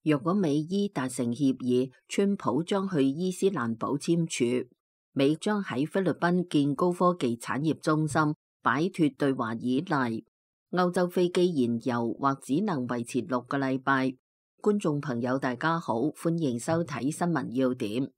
若果美伊達成協議，川普將去伊斯蘭堡簽署，美將喺菲律賓建高科技產業中心，擺脫對華依賴。歐洲飛機燃油或只能維持6個禮拜。觀眾朋友大家好，歡迎收睇新聞要點。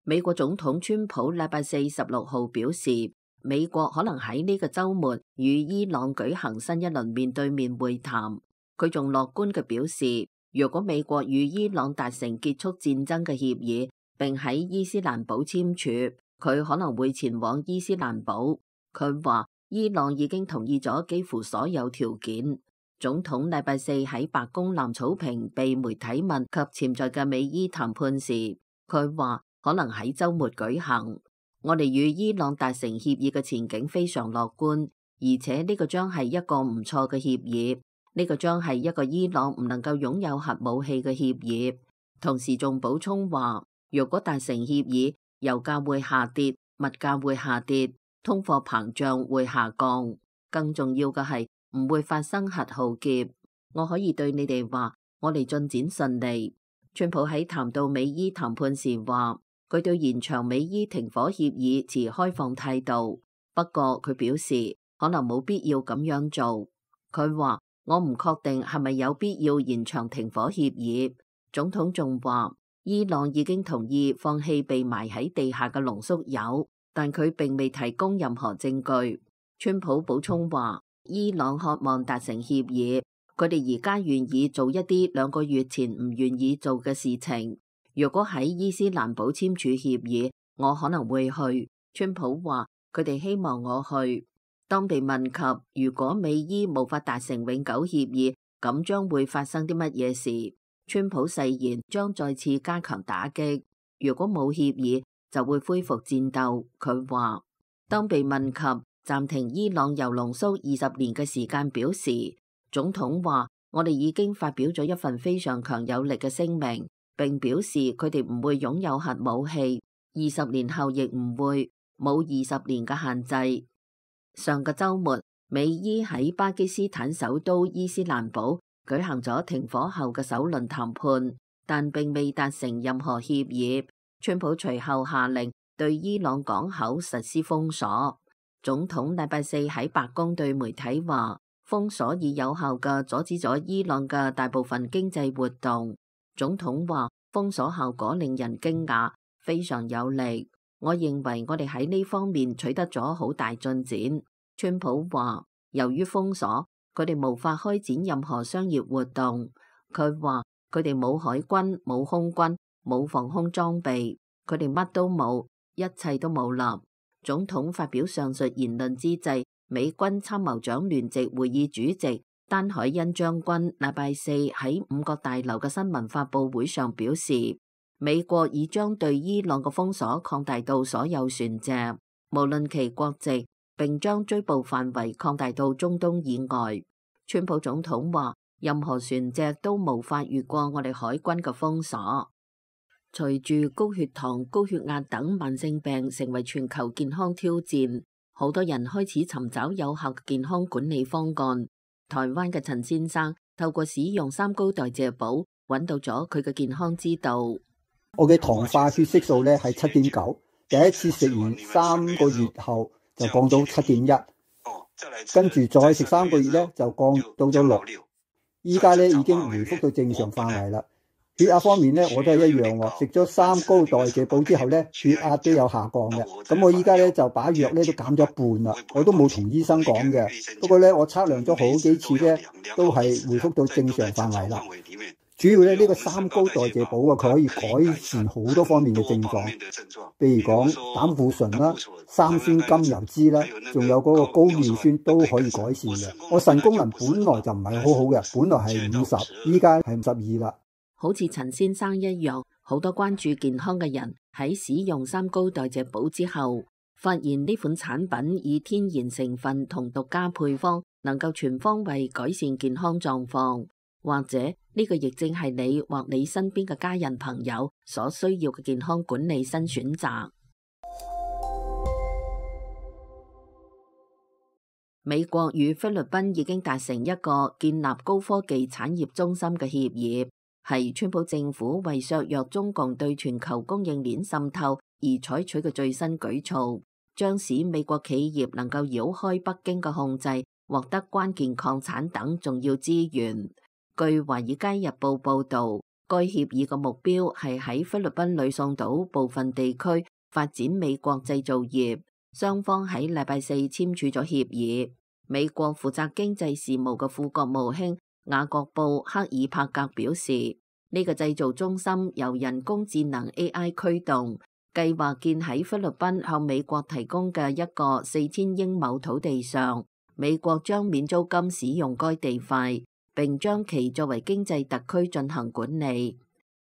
美國總統川普禮拜4 16號表示，美國可能喺呢個週末與伊朗舉行新一輪面對面會談。佢仲樂觀嘅表示，若果美國與伊朗達成結束戰爭嘅協議，並喺伊斯蘭堡簽署，佢可能會前往伊斯蘭堡。佢話伊朗已經同意咗幾乎所有條件。總統禮拜4喺白宮藍草坪被媒體問及潛在嘅美伊談判時，佢話可能喺週末舉行。我哋與伊朗達成協議嘅前景非常樂觀，而且呢個將係一個唔錯嘅協議。呢個將係一個伊朗唔能夠擁有核武器嘅協議。同時仲補充話，若果達成協議，油價會下跌，物價會下跌，通貨膨脹會下降。更重要嘅係唔會發生核浩劫。我可以對你哋話，我哋進展順利。川普喺談到美伊談判時話，佢對延長美伊停火協議持開放態度。不過佢表示可能冇必要咁樣做。佢話，我唔確定係咪有必要延長停火協議。總統仲話，伊朗已經同意放棄被埋喺地下嘅濃縮鈾，但佢並未提供任何證據。川普補充話，伊朗渴望達成協議，佢哋而家願意做一啲2個月前唔願意做嘅事情。如果喺伊斯蘭堡簽署協議，我可能會去。川普話，佢哋希望我去。當被問及如果美伊無法達成永久協議，咁將會發生啲乜嘢事，川普誓言將再次加強打擊。如果冇協議，就會恢復戰鬥。佢話，當被問及暫停伊朗鈾濃縮20年嘅時間表時，總統話，我哋已經發表咗一份非常強有力嘅聲明，並表示佢哋唔會擁有核武器，20年後亦唔會，冇20年嘅限制。上個週末，美伊喺巴基斯坦首都伊斯蘭堡舉行咗停火後嘅首輪談判，但並未達成任何協議。川普隨後下令對伊朗港口實施封鎖。總統禮拜4喺白宮對媒體話，封鎖已有效嘅阻止咗伊朗嘅大部分經濟活動。總統話，封鎖效果令人驚訝，非常有利。我認為我哋喺呢方面取得咗好大進展。川普話，由於封鎖，佢哋無法開展任何商業活動。佢話，佢哋冇海軍、冇空軍、冇防空裝備，佢哋乜都冇，一切都冇立。總統發表上述言論之際，美軍參謀長聯席會議主席丹海恩將軍禮拜4喺5角大樓嘅新聞發佈會上表示，美國已將對伊朗嘅封鎖擴大到所有船隻，無論其國籍，並將追捕範圍擴大到中東以外。川普總統話，任何船隻都無法越過我哋海軍嘅封鎖。隨住高血糖、高血壓等慢性病成為全球健康挑戰，好多人開始尋找有效嘅健康管理方案。台灣嘅陳先生透過使用三高代謝寶，揾到咗佢嘅健康之道。我嘅糖化血色素咧係7.9，第一次食完3個月後就降到7.1，跟住再食3個月咧就降到咗6，依家咧已經回復到正常範圍啦。血壓方面咧我都係一樣喎，食咗三高代謝寶之後咧血壓都有下降嘅。咁我依家咧就把藥咧都減咗一半啦，我都冇同醫生講嘅。不過咧我測量咗好幾次咧都係回復到正常範圍啦。主要咧呢個三高代謝寶啊，佢可以改善好多方面嘅症狀，譬如講膽固醇啦、三酸甘油酯啦，仲有嗰個高尿酸都可以改善嘅。我腎功能本來就唔係好好嘅，本來係50，依家係52啦。好似陳先生一樣，好多關注健康嘅人喺使用三高代謝寶之後，發現呢款產品以天然成分同獨家配方，能夠全方位改善健康狀況。或者呢個亦正係你或你身邊嘅家人朋友所需要嘅健康管理新選擇。美國與菲律賓已經達成一個建立高科技產業中心嘅協議。係川普政府為削弱中共對全球供應鏈滲透而採取嘅最新舉措，將使美國企業能夠繞開北京嘅控制，獲得關鍵礦產等重要資源。據《華爾街日報》報導，該協議嘅目標係喺菲律賓呂宋島部分地區發展美國製造業。雙方喺禮拜四簽署咗協議。美國負責經濟事務嘅副國務卿雅各布·克爾帕格表示，呢個製造中心由人工智能 AI 驅動，計劃建喺菲律賓向美國提供嘅一個4000英畝土地上。美國將免租金使用該地塊，並將其作為經濟特區進行管理。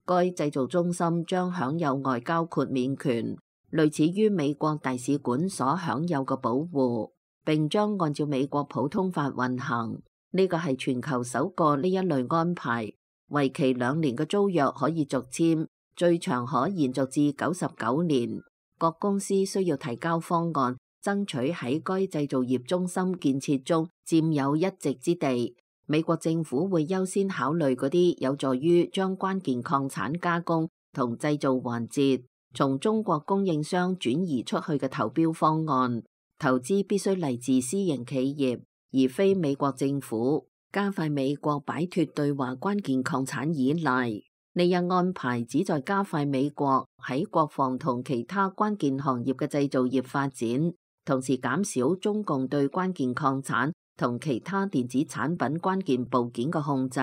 該製造中心將享有外交豁免權，類似於美國大使館所享有嘅保護，並將按照美國普通法運行。呢個係全球首個呢一類安排，為期2年嘅租約可以續簽，最長可延續至99年。各公司需要提交方案，爭取喺該製造業中心建設中佔有一席之地。美國政府會優先考慮嗰啲有助於將關鍵礦產加工同製造環節從中國供應商轉移出去嘅投標方案。投資必須嚟自私營企業，而非美國政府，加快美國擺脫對華關鍵礦產依賴。呢一安排旨在加快美國喺國防同其他關鍵行業嘅製造業發展，同時減少中共對關鍵礦產同其他電子產品關鍵部件嘅控制。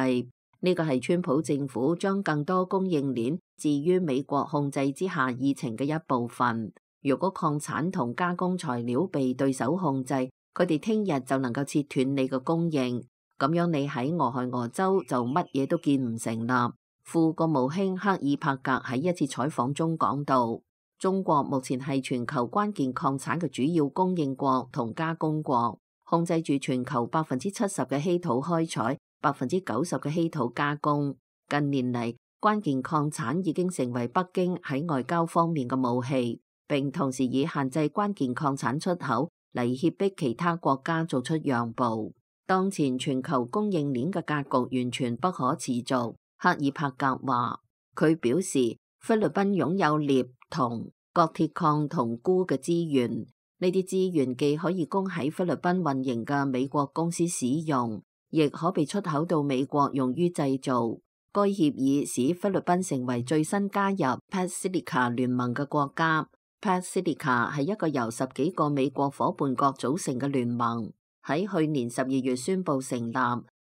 呢個係川普政府將更多供應鏈置於美國控制之下議程嘅一部分。如果礦產同加工材料被對手控制，佢哋聽日就能夠切斷你嘅供應，咁樣你喺俄亥俄州就乜嘢都建唔成啦。副國務卿克爾帕格喺一次採訪中講到，中國目前係全球關鍵礦產嘅主要供應國同加工國，控制住全球70%嘅稀土開採，90%嘅稀土加工。近年嚟，關鍵礦產已經成為北京喺外交方面嘅武器，並同時以限制關鍵礦產出口嚟脅迫其他國家做出讓步。當前全球供應鏈嘅格局完全不可持續。克爾帕格話，佢表示菲律賓擁有鎳、銅、鋼鐵礦同鈷嘅資源，呢啲資源既可以供喺菲律賓運營嘅美國公司使用，亦可被出口到美國用於製造。該協議使菲律賓成為最新加入 PacSilica 聯盟嘅國家。PacSilica 係一個由10幾個美國夥伴國組成嘅聯盟，喺去年12月宣布成立，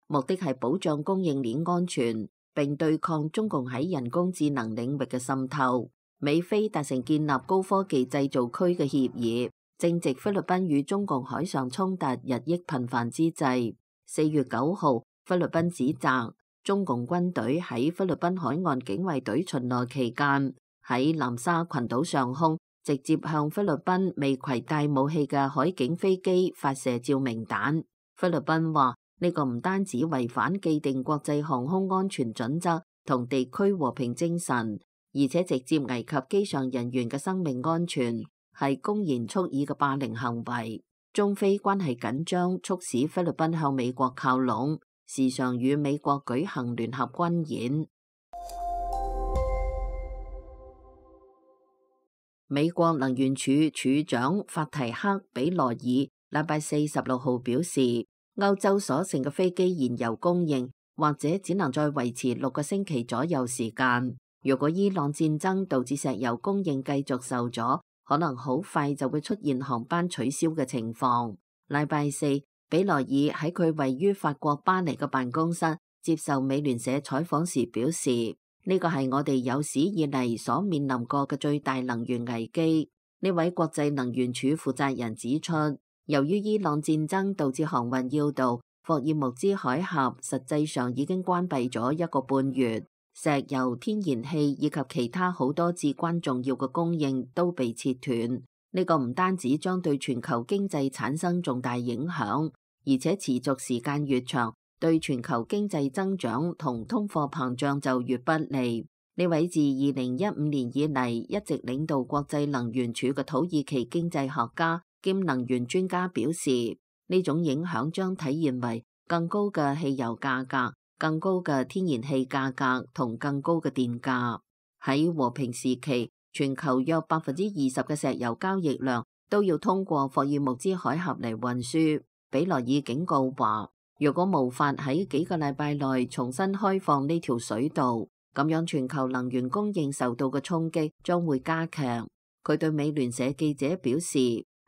目的係保障供應鏈安全，並對抗中共喺人工智能領域嘅滲透。美菲達成建立高科技製造區嘅協議，正值菲律賓與中共海上衝突日益頻繁之際。4月9號，菲律賓指責中共軍隊喺菲律賓海岸警衛隊巡邏期間，喺南沙群島上空直接向菲律賓未攜帶武器嘅海警飛機發射照明彈。菲律賓話呢個唔單止違反既定國際航空安全準則同地區和平精神，而且直接危及機上人員嘅生命安全，係公然蓄意嘅霸凌行為。中菲關係緊張，促使菲律賓向美國靠攏，時常與美國舉行聯合軍演。美國能源署署長法提克·比羅爾禮拜四16號表示，歐洲所剩嘅飛機燃油供應或者只能再維持6個星期左右時間。如果伊朗戰爭導致石油供應繼續受阻，可能好快就會出現航班取消嘅情況。禮拜四，比羅爾喺佢位於法國巴黎嘅辦公室接受美聯社採訪時表示，呢個係我哋有史以嚟所面臨過嘅最大能源危機。呢位國際能源署負責人指出，由於伊朗戰爭導致航運要道霍爾木茲海峽實際上已經關閉咗1個半月，石油、天然氣以及其他好多至關重要嘅供應都被切斷。呢個唔單止將對全球經濟產生重大影響，而且持續時間越長，對全球經濟增長同通貨膨脹就越不利。呢位自2015年以嚟一直領導國際能源署嘅土耳其經濟學家兼能源專家表示，呢種影響將體現為更高嘅汽油價格、更高嘅天然氣價格同更高嘅電價。喺和平時期，全球約20%嘅石油交易量都要通過霍爾木茲海峽嚟運輸。比萊爾警告話，如果無法喺幾個禮拜內重新開放呢條水道，咁樣全球能源供應受到嘅衝擊將會加劇。佢對美聯社記者表示，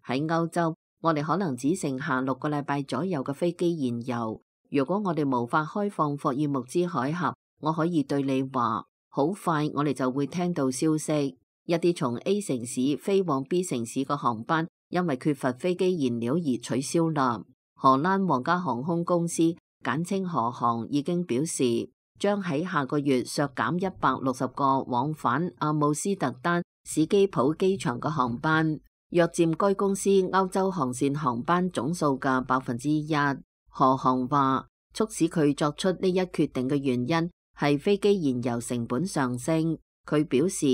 喺歐洲，我哋可能只剩下6個禮拜左右嘅飛機燃油。如果我哋無法開放霍爾木茲海峽，我可以對你話，好快我哋就會聽到消息，一啲從 A 城市飛往 B 城市嘅航班因為缺乏飛機燃料而取消啦。荷蘭皇家航空公司簡稱荷航已經表示，將喺下個月削減160個往返阿姆斯特丹史基普機場嘅航班，約佔該公司歐洲航線航班總數嘅1%。荷航話，促使佢作出呢一決定嘅原因係飛機燃油成本上升。佢表示，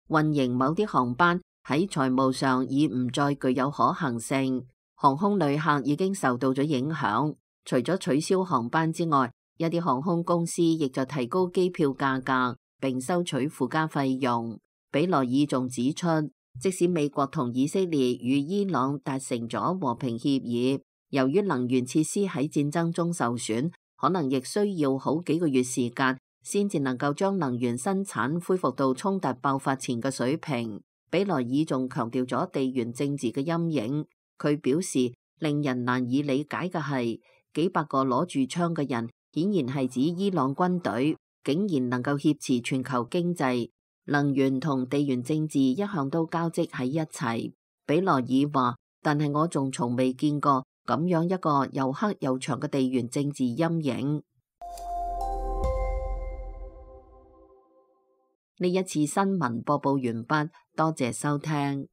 運營某啲航班喺財務上已唔再具有可行性，航空旅客已經受到咗影響。除咗取消航班之外，一啲航空公司亦就提高機票價格並收取附加費用。比萊爾仲指出，即使美國同以色列與伊朗達成咗和平協議，由於能源設施喺戰爭中受損，可能亦需要好幾個月時間先至能夠將能源生產恢復到衝突爆發前嘅水平。比萊爾仲強調咗地緣政治嘅陰影。佢表示，令人難以理解嘅係，幾百個攞住槍嘅人，顯然係指伊朗軍隊，竟然能夠挾持全球經濟。能源同地緣政治一向都交織喺一齊。比萊爾話，但係我仲從未見過咁樣一個又黑又長嘅地緣政治陰影。呢一次新聞播報完畢，多謝收聽。